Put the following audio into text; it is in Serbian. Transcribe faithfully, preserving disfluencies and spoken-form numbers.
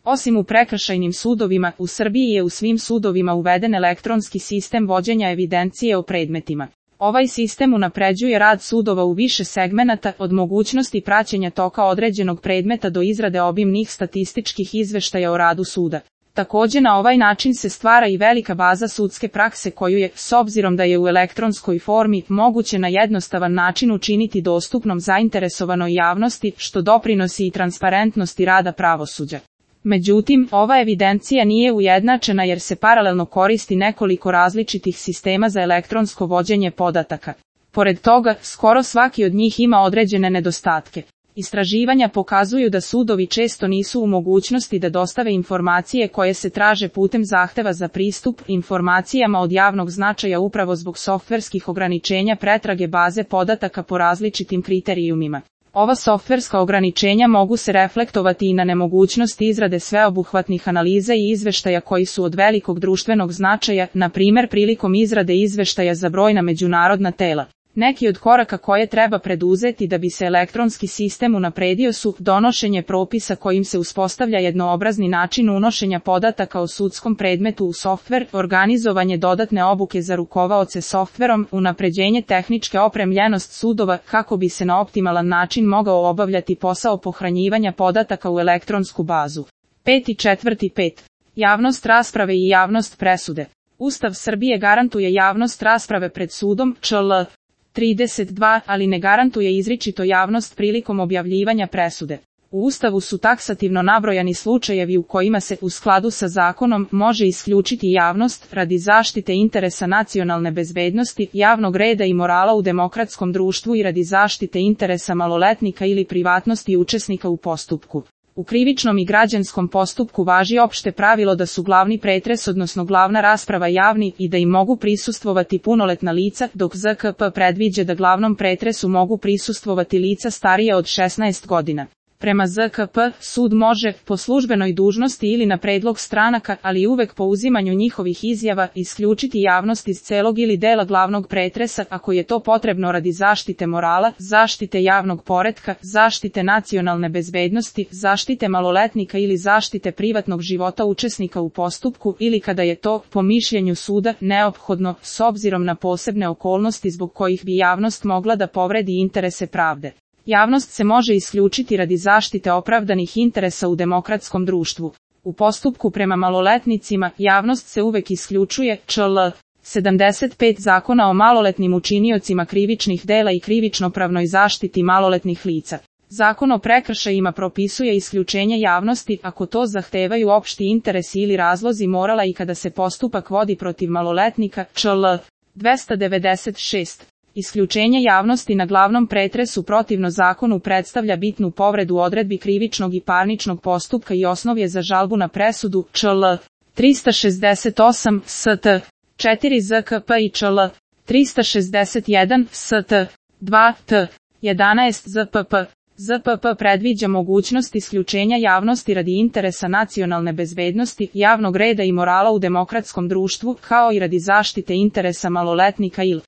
Osim u prekršajnim sudovima, u Srbiji je u svim sudovima uveden elektronski sistem vođenja evidencije o predmetima. Ovaj sistem unapređuje rad sudova u više segmenata, od mogućnosti praćenja toka određenog predmeta do izrade obimnih statističkih izveštaja o radu suda. Takođe na ovaj način se stvara i velika baza sudske prakse koju je, s obzirom da je u elektronskoj formi, moguće na jednostavan način učiniti dostupnom zainteresovanoj javnosti, što doprinosi i transparentnosti rada pravosuđa. Međutim, ova evidencija nije ujednačena jer se paralelno koristi nekoliko različitih sistema za elektronsko vođenje podataka. Pored toga, skoro svaki od njih ima određene nedostatke. Istraživanja pokazuju da sudovi često nisu u mogućnosti da dostave informacije koje se traže putem zahteva za pristup informacijama od javnog značaja upravo zbog softverskih ograničenja pretrage baze podataka po različitim kriterijumima. Ova softverska ograničenja mogu se reflektovati i na nemogućnost izrade sveobuhvatnih analiza i izveštaja koji su od velikog društvenog značaja, na primjer prilikom izrade izveštaja za brojna međunarodna tela. Neki od koraka koje treba preduzeti da bi se elektronski sistem unapredio su donošenje propisa kojim se uspostavlja jednoobrazni način unošenja podataka o sudskom predmetu u softver, organizovanje dodatne obuke za rukovaoce softverom, unapređenje tehničke opremljenost sudova kako bi se na optimalan način mogao obavljati posao pohranjivanja podataka u elektronsku bazu. Peti četvrti pet. Javnost rasprave i javnost presude. Ustav Srbije garantuje javnost rasprave pred sudom, čl. trideset dva, ali ne garantuje izričito javnost prilikom objavljivanja presude. U Ustavu su taksativno nabrojani slučajevi u kojima se, u skladu sa zakonom, može isključiti javnost radi zaštite interesa nacionalne bezbednosti, javnog reda i morala u demokratskom društvu i radi zaštite interesa maloletnika ili privatnosti učesnika u postupku. U krivičnom i građanskom postupku važi opšte pravilo da su glavni pretres odnosno glavna rasprava javni i da im mogu prisustvovati punoletna lica, dok Z K P predviđa da glavnom pretresu mogu prisustvovati lica starija od šesnaest godina. Prema Z K P, sud može, po službenoj dužnosti ili na predlog stranaka, ali uvek po uzimanju njihovih izjava, isključiti javnost iz celog ili dela glavnog pretresa ako je to potrebno radi zaštite morala, zaštite javnog poretka, zaštite nacionalne bezbednosti, zaštite maloletnika ili zaštite privatnog života učesnika u postupku ili kada je to, po mišljenju suda, neophodno, s obzirom na posebne okolnosti zbog kojih bi javnost mogla da povredi interese pravde. Javnost se može isključiti radi zaštite opravdanih interesa u demokratskom društvu. U postupku prema maloletnicima, javnost se uvek isključuje, čl. sedamdeset pet Zakona o maloletnim učiniocima krivičnih dela i krivičnopravnoj zaštiti maloletnih lica. Zakon o prekršajima propisuje isključenje javnosti ako to zahtevaju opšti interesi ili razlozi morala i kada se postupak vodi protiv maloletnika, čl. dvesta devedeset šest. Isključenje javnosti na glavnom pretresu protivno zakonu predstavlja bitnu povredu odredbi krivičnog i parničnog postupka i osnov je za žalbu na presudu, čl. trista šezdeset osam S T četiri Z K P i čl. trista šezdeset jedan S T dva T jedanaest Z P P. Z P P predviđa mogućnost isključenja javnosti radi interesa nacionalne bezbednosti, javnog reda i morala u demokratskom društvu, kao i radi zaštite interesa maloletnika ili